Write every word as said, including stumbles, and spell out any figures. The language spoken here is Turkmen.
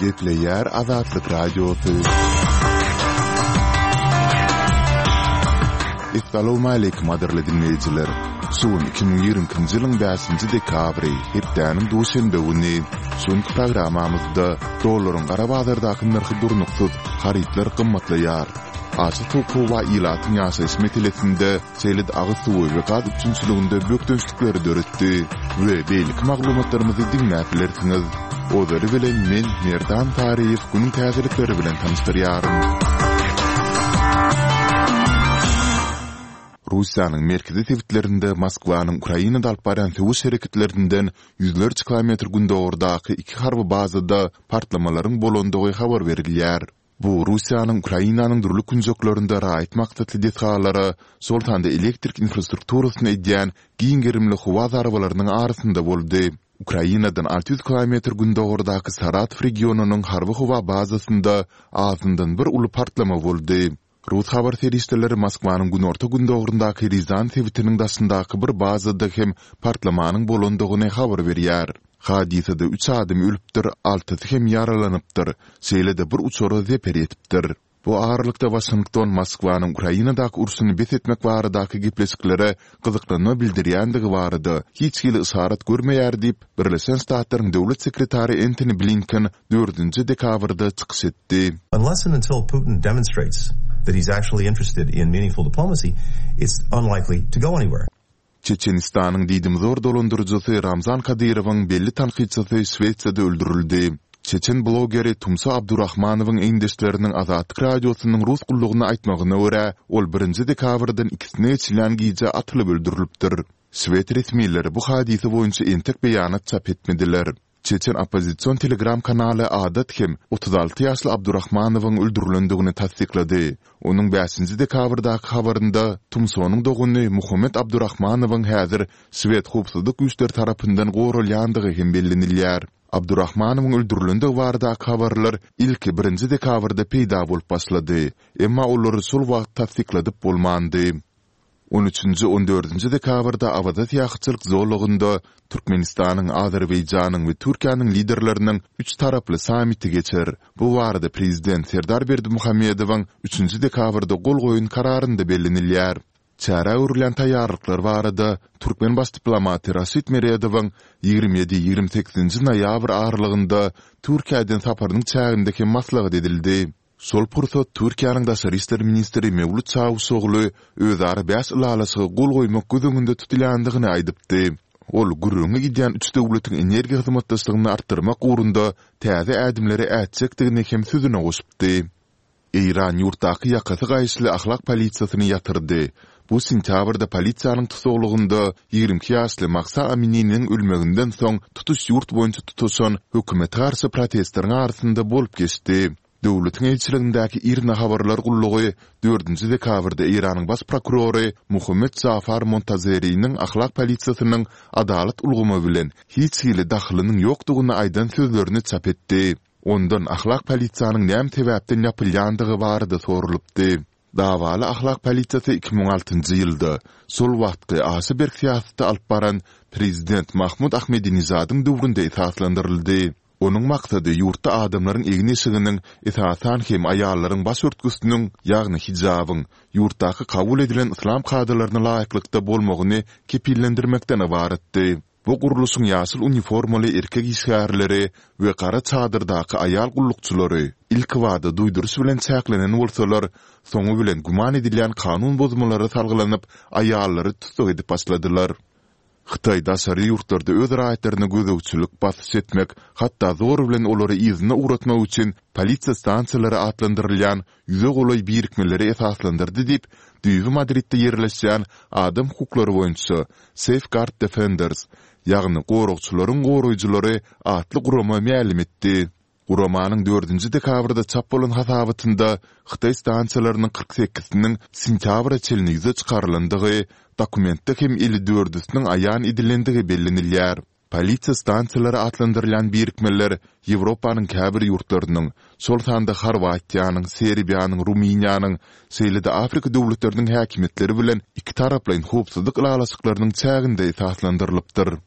Gepleýär Azatlyk Radiosy. Essalawmaleýkim gadyrly diňleýjiler! Şu gün iki müň ýigrimi ikinji ýylyň bäşinji dekabry, hepdäniň duşenbe güni. Şu günki programmamyzda dollaryň gara bazardaky nyrhy durnuksyz, harytlar gymmatlaýar. Aşa sowuk howa ilatyň ýaşaýyş meselesinde şeýle-de agyz suwy we gaz üpjünçiliginde bökdençlikleri döretdi we beýleki maglumatlarymyzy diňläp bilersiňiz. Ozaly bilen men, Merdan Taryýew günüň täzelikleri bilen tanyşdyrýaryn. Russiýanyň merkezi sebitlerinde Moskwanyň Ukrainada alyp barýan söweş hereketlerinden ýüzlerçe kilometr gündogardaky iki harby bazada partlamalaryň bolandygy habar berilýär. Bu Russiýanyň Ukrainanyň dürli künjeklerinde raýat maksatly desgalara, şol sanda elektrik infrastrukturasyna edýän giň gerimli howa zarbalarynyň arasynda boldy. Ukrainadan alty ýüz kilometr gündogardaky Saratow regionynyň harby-howa bazasynda azyndan bir uly partlama boldy. Rus habar serişdeleri Moskwanyň günorta-gündogaryndaky Rýazan sebitiniň daşyndaky bir bazada hem partlamanyň bolandygyny habar berýär. Hadysada üç adam ölüpdir, altysy hem ýaralanypdyr, şeýle-de bir uçara zeper ýetipdir. Bu aralykda Waşington Moskwanyň Ukrainadaky urşuny bes etmek baradaky gepleşiklere gyzyklanma bildirýändigi barada hiç hili yşarat görmeýär diýip, Birleşen Ştatlaryň döwlet sekretary Entoni Blinken dördünji dekabrda çykyş etdi. Unless and until Putin demonstrates that he's actually interested in meaningful diplomacy, it's unlikely to go anywhere. Çeçenistanyň diýdimzor dolandyryjysy Ramzan Kadyrowyň belli tankytçysy Şwesiýada öldürildi. Çeçen blogeri Tumsa Abdurahmanowyň egindeşleriniň Azatlyk Radiosynyň rus gullugyna aýtmagyna görä, ol birinji dekabrdan ikisine geçilýän gije atylyp öldürilipdir. Şwed resmileri bu hadysa boýunça entek beýanat çap etmediler. Çeçen oppozision telegram kanaly Adat hem otuz alty ýaşly Abdurahmanowyň öldürilendigini tassyklady. Onuň bäşinji dekabrdaky habarynda Tumsonyň dogany Muhammet Abdurahmanowyň häzir şwed howpsuzlyk güýçleri tarapyndan goralýandygy hem bellenilýär. Abdurahmanowyň öldürilendigi baradaky habarlar ilki birinji dekabrda peýda bolup başlady, emma olary şol wagt tassykladyp bolmandy. On üçünji, on dördünji dekabrda Awaza syýahatçylyk zolagynda Türkmenistanyň, Azerbaýjanyň we Türkiýäniň Liderleriniň üç taraply sammiti geçer. Bu barada Prezident Serdar Berdimuhamedowyň üçünji dekabrda gol goýan Kararynda bellenilýär. Çärä görülýän taýýarlyklar barada türkmen baş diplomaty Raşid Meredowyň ýigrimi ýedi, ýigrimi sekizinji noýabr aralygynda Türkiýä eden saparynyň çäginde hem maslahat edildi. Şol pursat Türkiýäniň daşary işler ministri Mewlüt Çawuşogly özara bäş ylalaşyga gol goýmak göz öňünde tutulýandygyny aýdypdy. Ol gürrüňi gidýän üç döwletiň energiýa hyzmatdaşlygyny artdyrmak ugrunda täze ädimleri ätjekdigini hem sözüne goşupdy. Eýran ýurtdaky ýakasy gaýyşly ahlak polisiýasyny ýatyrdy. Bu sentýabrda polisiýanyň tussaglygynda ýigrimi iki ýaşly Mahsa Amininiň ölmeginden soň tutuş ýurt boýunça tutaşan hökümete garşy protestleriň arasynda bolup geçdi. Döwletiň eýeçiligindäki IRNA habarlar gullugy dördünji dekabrda Eýranyň baş prokurory Mohammed Jafar Montazeriniň ahlak polisiýasynyň adalat ulgamy bilen hiç hili dahylynyň ýokdugyny aýdan sözlerini çap etdi. Ondan ahlak polisiýanyň näme sebäpden ýapylýandygy barada soralypdy. Dawaly ahlak polisiýasy iki müň altynjy ýylda, şol wagtky aşa berk syýasaty alyp baran prezident Mahmud Ahmedinejadyň döwründe esaslandyryldy. Onuň maksady ýurtda adamlaryň egin-eşiginiň, esasan hem aýallaryň baş örtgüsiniň, ýagny hijabyň, ýurtdaky kabul edilen yslam kadalaryna laýyklykda bolmagyny kepillendirmekden ybaratdy. Bu gurluşyň ýaşyl uniformaly erkek işgärleri we gara çadyrdaky aýal gullukçylary ilkibada duýduryş bilen çäklenen bolsalar, soňy bilen güman edilýän kanun bozmalara salgylanyp, aýallary tussag edip başladylar. Hytaý daşary ýurtlarda öz raýatlaryna gözegçilik, basyş etmek, hatda zor bilen olary yzyna ugratmak üçin polisiýa stansiýalary atlandyrylýan ýüze golaý birikmeleri esaslandyrdy diýip, düýbi Madridde ýerleşýän adam hukuklary boýunça Safeguard Defenders, ýagny Goragçylaryň goraýjylary atly gurama mälim etdi. Guramanyň dördünji dekabrda çap bolan hasabatynda hytaý stansiýalarynyň kyrk sekiziniň sentýabra çenli ýüze çykarylandygy, dokumentde hem elli dördüsiniň aýan edilendigi bellenilýär. Polisiýa stansiýalary atlandyrylýan birikmeler Ýewropanyň käbir ýurtlarynyň, şol sanda Horwatiýanyň, Serbiýanyň, Rumyniýanyň, şeýle-de Afrika döwletleriniň häkimiýetleri bilen ikitaraplaýyn howpsuzlyk ylalaşyklarynyň çäginde esaslandyrylypdyr.